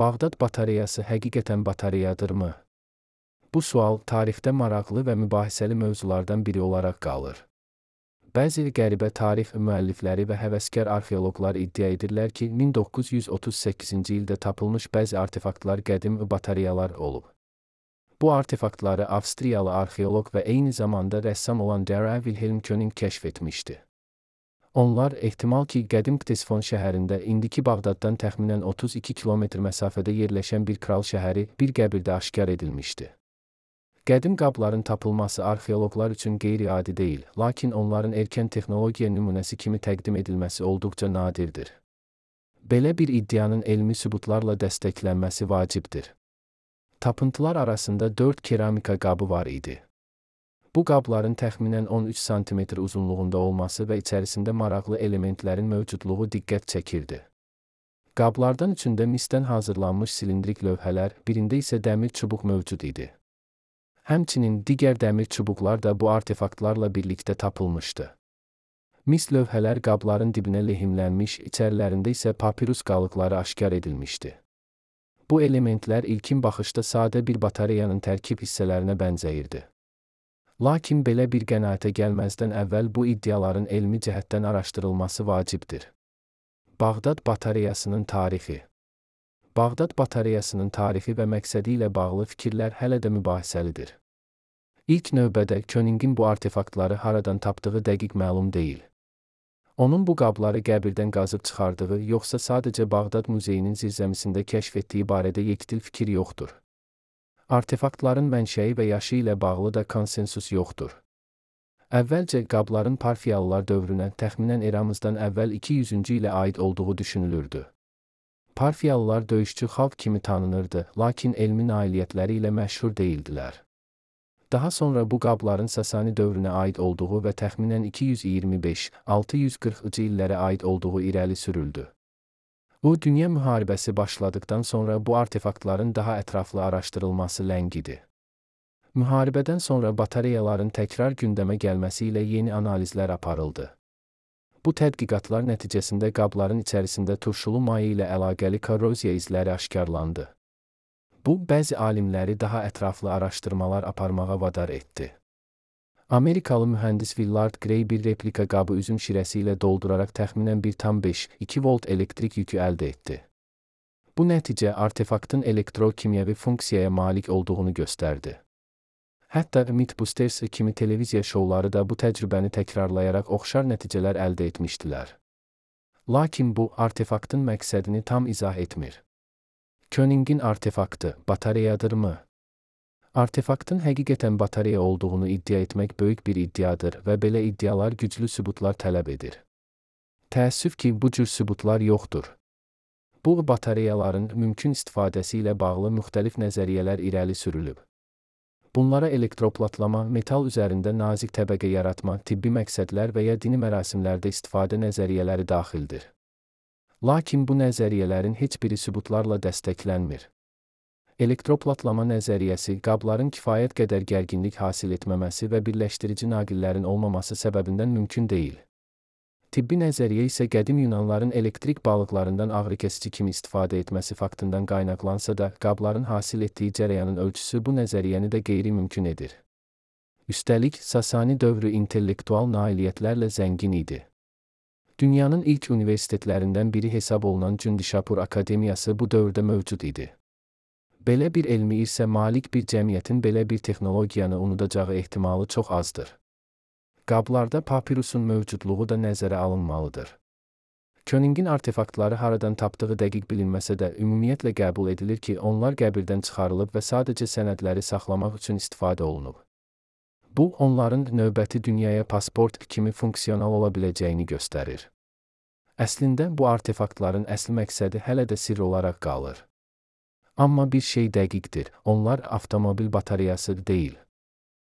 Bağdad batareyası həqiqətən batareyadırmı? Bu sual tarixdə maraqlı və mübahisəli mövzulardan biri olaraq qalır. Bəzi qəribə tarix müəllifləri və həvəskar arxeoloqlar iddia edirlər ki, 1938-ci ildə tapılmış bəzi artefaktlar qədim batareyalar olub. Bu artefaktları Avstriyalı arxeoloq və eyni zamanda rəssam olan Dara Wilhelm König kəşf etmişdi. Onlar ehtimal ki, qədim Ktesifon şəhərində indiki Bağdaddan təxminən 32 kilometr məsafədə yerləşən bir kral şəhəri bir qəbirdə aşkar edilmişdi. Qədim qabların tapılması arxeoloqlar üçün qeyri-adi deyil, lakin onların erkən texnologiya nümunəsi kimi təqdim edilməsi olduqca nadirdir. Belə bir iddianın elmi sübutlarla dəstəklənməsi vacibdir. Tapıntılar arasında 4 keramika qabı var idi. Bu qabların təxminən 13 sm uzunluğunda olması və içərisində maraqlı elementlərin mövcudluğu diqqət çəkirdi. Qablardan üçündə misdən hazırlanmış silindrik lövhələr, birində isə dəmir çubuq mövcud idi. Həmçinin digər dəmir çubuqlar da bu artefaktlarla birlikdə tapılmışdı. Mis lövhələr qabların dibinə lehimlənmiş, içərilərində isə papirus qalıqları aşkar edilmişdi. Bu elementlər ilkin baxışda sadə bir batareyanın tərkib hissələrinə bənzəyirdi. Lakin belə bir qənaətə gəlməzdən əvvəl bu iddiaların elmi cəhətdən araşdırılması vacibdir. Bağdad batareyasının tarixi. Bağdad batareyasının tarixi və məqsədi ilə bağlı fikirlər hələ də mübahisəlidir. İlk növbədə Königin bu artefaktları haradan tapdığı dəqiq məlum deyil. Onun bu qabları qəbirdən qazıb çıxardığı, yoxsa sadəcə Bağdad muzeyinin zirzəmisində kəşf etdiyi barədə yekdil fikir yoxdur. Artefaktların mənşəyi və yaşı ilə bağlı da konsensus yoxdur. Əvvəlcə qabların Parfiyalılar dövrünə təxminən eramızdan əvvəl 200-cü ilə aid olduğu düşünülürdü. Parfiyalılar döyüşçü xalq kimi tanınırdı, lakin elmi nailiyyətləri ilə məşhur deyildilər. Daha sonra bu qabların Sasani dövrünə aid olduğu və təxminən 225-640-cı illərə aid olduğu irəli sürüldü. Bu, Dünya müharibəsi başladıktan sonra bu artefaktların daha ətraflı araşdırılması ləngidi. Müharibədən sonra batareyaların təkrar gündəmə gəlməsi ilə yeni analizlər aparıldı. Bu tədqiqatlar nəticəsində qabların içərisində turşulu maye ilə əlaqəli korroziya izləri aşkarlandı. Bu, bəzi alimləri daha ətraflı araşdırmalar aparmağa vadar etdi. Amerikalı mühəndis Willard Gray bir replika qabı üzüm şirəsi ilə dolduraraq təxminən 1,5-2 volt elektrik yükü əldə etdi. Bu nəticə artefaktın elektro-kimyəvi funksiyaya malik olduğunu göstərdi. Hətta Mythbusters kimi televiziya şovları da bu təcrübəni təkrarlayaraq oxşar nəticələr əldə etmişdilər. Lakin bu, artefaktın məqsədini tam izah etmir. Königin artefaktı batareyadırmı? Artefaktın həqiqətən batareya olduğunu iddia etmək böyük bir iddiadır və belə iddialar güclü sübutlar tələb edir. Təəssüf ki, bu cür sübutlar yoxdur. Bu batareyaların mümkün istifadəsi ilə bağlı müxtəlif nəzəriyyələr irəli sürülüb. Bunlara elektroplatlama, metal üzərində nazik təbəqə yaratma, tibbi məqsədlər və ya dini mərasimlərdə istifadə nəzəriyyələri daxildir. Lakin bu nəzəriyyələrin heç biri sübutlarla dəstəklənmir. Elektroplatlama nəzəriyyəsi qabların kifayət qədər gərginlik hasil etməməsi və birləşdirici naqillərin olmaması səbəbindən mümkün deyil. Tibbi nəzəriyyə isə qədim Yunanların elektrik balıqlarından ağrıkəsici kimi istifadə etməsi faktından qaynaqlansa da, qabların hasil etdiyi cərəyanın ölçüsü bu nəzəriyyəni də qeyri-mümkün edir. Üstəlik, Sasani dövrü intellektual nailiyyətlərlə zəngin idi. Dünyanın ilk universitetlərindən biri hesab olunan Cündişapur Akademiyası bu dövrdə mövcud idi. Belə bir elmi irsə malik bir cəmiyyətin belə bir texnologiyanı unudacağı ehtimalı çox azdır. Qablarda papirusun mövcudluğu da nəzərə alınmalıdır. Königin artefaktları haradan tapdığı dəqiq bilinməsə də ümumiyyətlə qəbul edilir ki, onlar qəbirdən çıxarılıb və sadəcə sənədləri saxlamaq üçün istifadə olunub. Bu, onların növbəti dünyaya pasport kimi funksional ola biləcəyini göstərir. Əslində, bu artefaktların əsl məqsədi hələ də sirr olaraq qalır. Amma bir şey dəqiqdir, onlar avtomobil batareyası deyil.